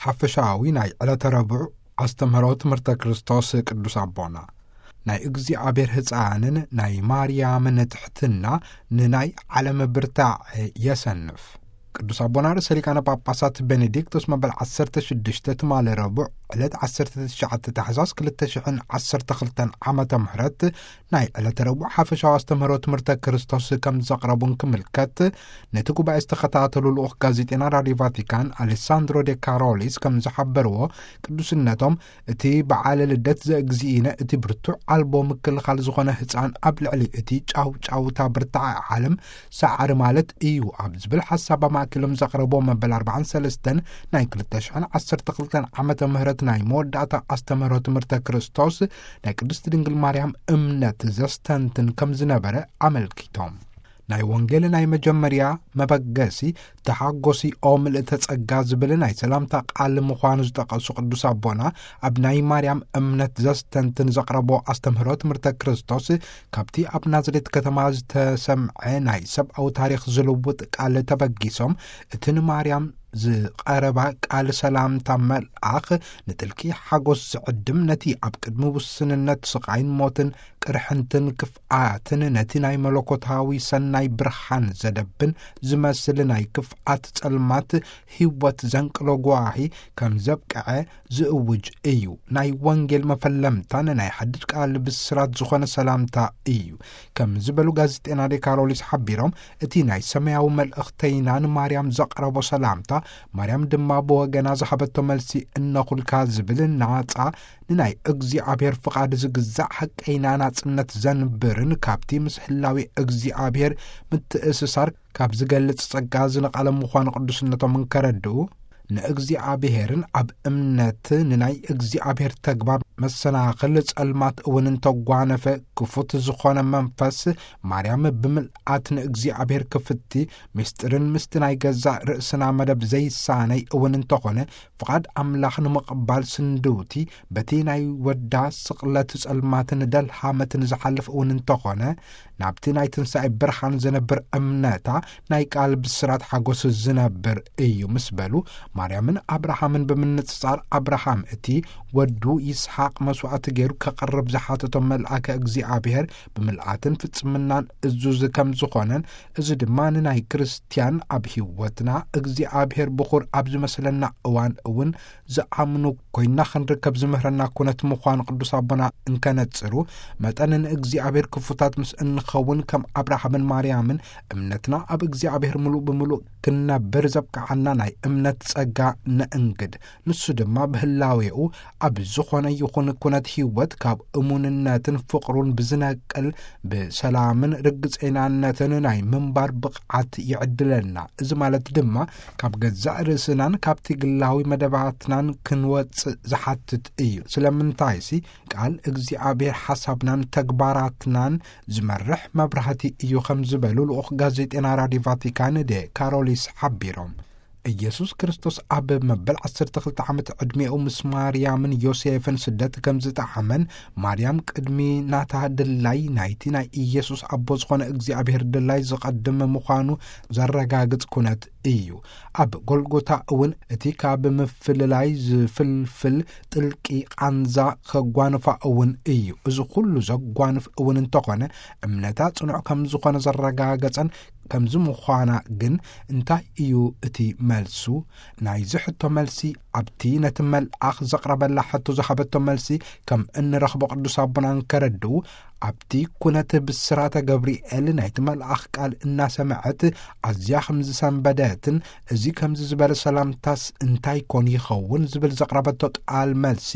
ሓፈሻዊ ናይ ዕለተ ረቡዕ ኣስተምህሮ ትምህርተ ክርስቶስ ቅዱስ ኣቦና፣ ናይ እግዚኣብሔር ህፃንን ናይ ማርያምን ትሕትና ንናይ ዓለም ብርታዕ የሰንፍ። ቅዱስ ኣቦና ርእሰ ሊቃነ ጳጳሳት ቤኔዲክቶስ መበል ዓሰርተ ሽዱሽተ ትማሊ ረቡዕ ዕለት ዓሰርተ ትሽዓተ ታሕሳስ ክልተ ሽሕን ዓሰርተ ክልተን ዓመተ ምህረት ናይ ዕለተ ረቡዕ ሓፈሻዊ ኣስተምህሮ ትምህርተ ክርስቶስ ከም ዘቕረቡን ክምልከት፣ ነቲ ጉባኤ ዝተኸታተሉ ልኡኽ ጋዜጤና ራዲዮ ቫቲካን ኣሌሳንድሮ ዴ ካሮሊስ ከም ዝሓበርዎ፣ ቅዱስነቶም እቲ በዓለ ልደት ዘእግዚእነ እቲ ብርቱዕ ኣልቦ ምክልኻል ዝኾነ ህፃን ኣብ ልዕሊ እቲ ጫውጫውታ ብርታዐ ዓለም ሰዓሪ ማለት እዩ ኣብ ዝብል ሓሳብ ኣማእኪሎም ዘቕረቦ መበል ኣርባዓን ሰለስተን ናይ ክልተ ሽሕን ዓሰርተ ክልተን ዓመተ ምህረት ናይ መወዳእታ ኣስተምህሮ ትምህርተ ክርስቶስ ናይ ቅድስት ድንግል ማርያም እምነት ዘስተንትን ከም ዝነበረ ኣመልኪቶም። ናይ ወንጌል ናይ መጀመርያ መበገሲ ተሓጎሲ ኦ ምልእተ ጸጋ ዝብል ናይ ሰላምታ ቃል ምዃኑ ዝጠቐሱ ቅዱስ ኣቦና፣ ኣብ ናይ ማርያም እምነት ዘስተንትን ዘቕረቦ ኣስተምህሮ ትምህርተ ክርስቶስ ካብቲ ኣብ ናዝሬት ከተማ ዝተሰምዐ ናይ ሰብኣዊ ታሪኽ ዝልውጥ ቃል ተበጊሶም፣ እቲ ንማርያም ዝቐረባ ቃል ሰላምታ መልኣኽ ንጥልቂ ሓጎስ ዝዕድም፣ ነቲ ኣብ ቅድሚ ውስንነት ስቓይን ሞትን ቅርሕንትን ክፍኣትን ነቲ ናይ መለኮታዊ ሰናይ ብርሃን ዘደብን ዝመስል ናይ ክፍኣት ጸልማት ህይወት ዘንቅሎ ጓሂ ከም ዘብቅዐ ዝእውጅ እዩ። ናይ ወንጌል መፈለምታን ናይ ሓድሽ ቃል ብስራት ዝኾነ ሰላምታ እዩ። ከም ዝበሉ ጋዜጤና ዴ ካሮሊስ ሓቢሮም፣ እቲ ናይ ሰማያዊ መልእኽተይና ንማርያም ዘቕረቦ ሰላምታ፣ ማርያም ድማ ብወገና ዝሃበቶ መልሲ እነኹልካ ዝብል ናጻ ንናይ እግዚኣብሔር ፍቓድ ዝግዛእ ሓቀይና ናጽነት ዘንብርን ካብቲ ምስ ህላዊ እግዚኣብሔር ምትእስሳር ካብ ዝገልጽ ጸጋ ዝነቐለ ምዃኑ ቅዱስነቶም እንከረድኡ፣ ንእግዚኣብሔርን ኣብ እምነት ንናይ እግዚኣብሔር ተግባር መሰናኽል ጸልማት እውን እንተጓነፈ፣ ክፉት ዝኾነ መንፈስ ማርያም ብምልኣት ንእግዚኣብሔር ክፍቲ ምስጢርን ምስቲ ናይ ገዛእ ርእስና መደብ ዘይሳነይ እውን እንተኾነ፣ ፍቓድ ኣምላኽ ንምቕባል ስንድውቲ በቲ ናይ ወዳ ስቕለት ጸልማትን ደልሃመትን ዝሓልፍ እውን እንተኾነ፣ ናብቲ ናይ ትንሳኤ ብርሃን ዝነብር እምነታ ናይ ቃል ብስራት ሓጎስ ዝነብር እዩ ምስ በሉ፣ ማርያምን ኣብርሃምን ብምንጽጻር፣ ኣብርሃም እቲ ወዱ ይስሓቅ መስዋእቲ ገይሩ ከቕርብ ዝሓተቶ መልኣከ እግዚኣብሔር ብምልኣትን ፍጽምናን እዙዝ ከም ዝኾነን፣ እዚ ድማ ንናይ ክርስትያን ኣብ ህይወትና እግዚኣብሔር ብኹር ኣብ ዝመስለና እዋን እውን ዝኣምኑ ኮይና ክንርከብ ዝምህረና ኩነት ምዃኑ ቅዱስ ኣቦና እንከነጽሩ፣ መጠን ንእግዚኣብሔር ክፉታት ምስ እንኸውን ከም ኣብርሃምን ማርያምን እምነትና ኣብ እግዚኣብሔር ምሉእ ብምሉእ ክንነብር ዘብቅዓና ናይ እምነት ጸጋ ነእንግድ። ንሱ ድማ ብህላዌኡ ኣብ ዝኾነ ይኹን ኩነት ህይወት ካብ እሙንነትን ፍቕሩን ብዝነቅል ብሰላምን ርግጸይናነትን ናይ ምንባር ብቕዓት ይዕድለና። እዚ ማለት ድማ ካብ ገዛእ ርእስናን ካብቲ ግላዊ መደባትናን ክንወጽእ ዝሓትት እዩ። ስለምንታይሲ ቃል እግዚኣብሔር ሓሳብናን ተግባራትናን ዝመርሕ መብራህቲ እዩ ከም ዝበሉ ልኡኽ ጋዜጤና ራዲዮ ቫቲካን ዴ ካሮሊስ ሓቢሮም። ኢየሱስ ክርስቶስ ኣብ መበል ዓሰርተ ክልተ ዓመት ዕድሜኡ ምስ ማርያምን ዮሴፍን ስደት ከም ዝጠዓመን፣ ማርያም ቅድሚ ናታ ድላይ ናይቲ ናይ ኢየሱስ ኣቦ ዝኾነ እግዚኣብሔር ድላይ ዝቐድም ምዃኑ ዘረጋግጽ ኩነት እዩ። ኣብ ጎልጎታ እውን እቲ ካብ ምፍልላይ ዝፍልፍል ጥልቂ ቃንዛ ከጓንፋ እውን እዩ። እዚ ኩሉ ዘጓንፍ እውን እንተኾነ፣ እምነታ ጽኑዕ ከም ዝኾነ ዘረጋገጸን ከምዚ ምዃና ግን እንታይ እዩ እቲ መልሱ? ናይዚ ሕቶ መልሲ፣ ኣብቲ ነቲ መልኣኽ ዘቕረበላ ሕቶ ዝሃበቶ መልሲ ከም እንረኽቦ ቅዱስ ኣቦና እንከረድኡ፣ ኣብቲ ኩነት ብስራተ ገብርኤል ናይቲ መልኣኽ ቃል እናሰምዐት ኣዝያ ከም ዝሰንበደትን፣ እዚ ከምዚ ዝበለ ሰላምታስ እንታይ ኮን ይኸውን ዝብል ዘቕረበቶ ቃል መልሲ፣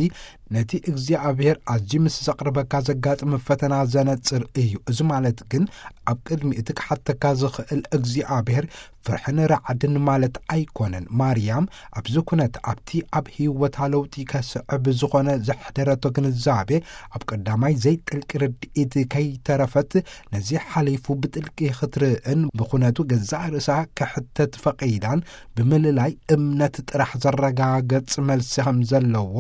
ነቲ እግዚኣብሔር ኣዝዩ ምስ ዘቕርበካ ዘጋጥም ፈተና ዘነጽር እዩ። እዚ ማለት ግን ኣብ ቅድሚ እቲ ክሓተካ ዝኽእል እግዚኣብሔር ፍርሕን ራዕድን ማለት ኣይኮነን። ማርያም ኣብዚ ኩነት ኣብቲ ኣብ ህይወታ ለውጢ ከስዕብ ዝኾነ ዘሕደረቶ ግንዛቤ ኣብ ቀዳማይ ዘይጥልቂ ርድኢት ከይተረፈት ነዚ ሓሊፉ ብጥልቂ ክትርእን ብኹነቱ ገዛእ ርእሳ ክሕተት ፈቒዳን ብምልላይ እምነት ጥራሕ ዘረጋገጽ መልሲ ከም ዘለዎ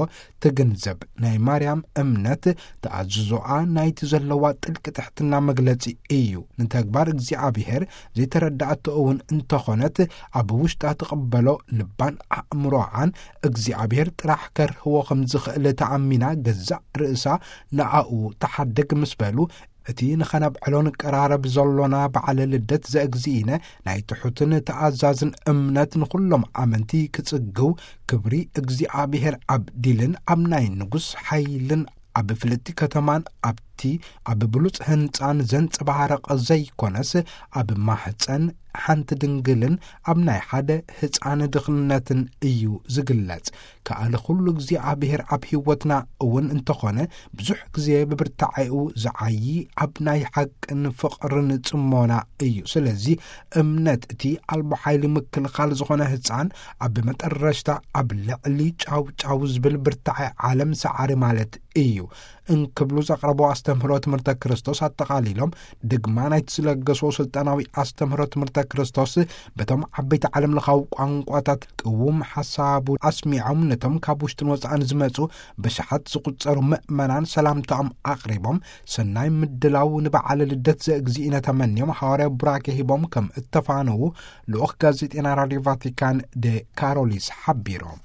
ትግንዘብ። ናይ ማርያም እምነት ተኣዝዞኣ ናይቲ ዘለዋ ጥልቂ ትሕትና መግለጺ እዩ። ንተግባር እግዚኣብሔር ዘይተረዳእቶ እውን እንተኾነት፣ ኣብ ውሽጣ ትቕበሎ፣ ልባን ኣእምሮኣን እግዚኣብሔር ጥራሕ ከርህዎ ከም ዝኽእል ተኣሚና፣ ገዛእ ርእሳ ንኣኡ ተሓድግ ምስ በሉ፣ እቲ ንኸነብዕሎ ንቀራረብ ዘሎና በዓለ ልደት ዘእግዚእነ ናይ ትሑትን ተኣዛዝን እምነት ንኹሎም ኣመንቲ ክጽግው፣ ክብሪ እግዚኣብሔር ኣብ ዲልን ኣብ ናይ ንጉስ ሓይልን ኣብ ፍልጥቲ ከተማን ኣብቲ ኣብ ብሉጽ ህንጻን ዘንጸባረቐ ዘይኮነስ፣ ኣብ ማህጸን ሓንቲ ድንግልን ኣብ ናይ ሓደ ህጻን ድኽነትን እዩ ዝግለጽ። ከኣለ ኩሉ እግዚኣብሔር ኣብ ህይወትና እውን እንተኾነ፣ ብዙሕ ግዜ ብብርታዐኡ ዝዓዪ ኣብ ናይ ሓቅን ፍቕርን ጽሞና እዩ። ስለዚ እምነት እቲ ኣልቦ ሓይሊ ምክልኻል ዝኾነ ህጻን ኣብ መጠረሽታ ኣብ ልዕሊ ጫው ጫው ዝብል ብርታዐ ዓለም ሰዓሪ ማለት እዩ። እንክብሉ ዘቕረቦ ኣስተምህሮ ትምህርተ ክርስቶስ ኣጠቓሊሎም፣ ድግማ ናይቲ ዝለገሶ ስልጣናዊ ኣስተምህሮ ትምህርተ ክርስቶስ በቶም ዓበይቲ ዓለም ለኻዊ ቋንቋታት ቅውም ሓሳቡ ኣስሚዖም፣ ነቶም ካብ ውሽጥን ወጻእን ዝመጹ ብሽሓት ዝቑጸሩ ምእመናን ሰላምታኦም ኣቕሪቦም፣ ሰናይ ምድላው ንበዓለ ልደት ዘእግዚእነ ተመንዮም፣ ሃዋርያ ቡራኬ ሂቦም ከም እተፋነዉ ልኡኽ ጋዜጤና ራድዮ ቫቲካን ደ ካሮሊስ ሓቢሮም።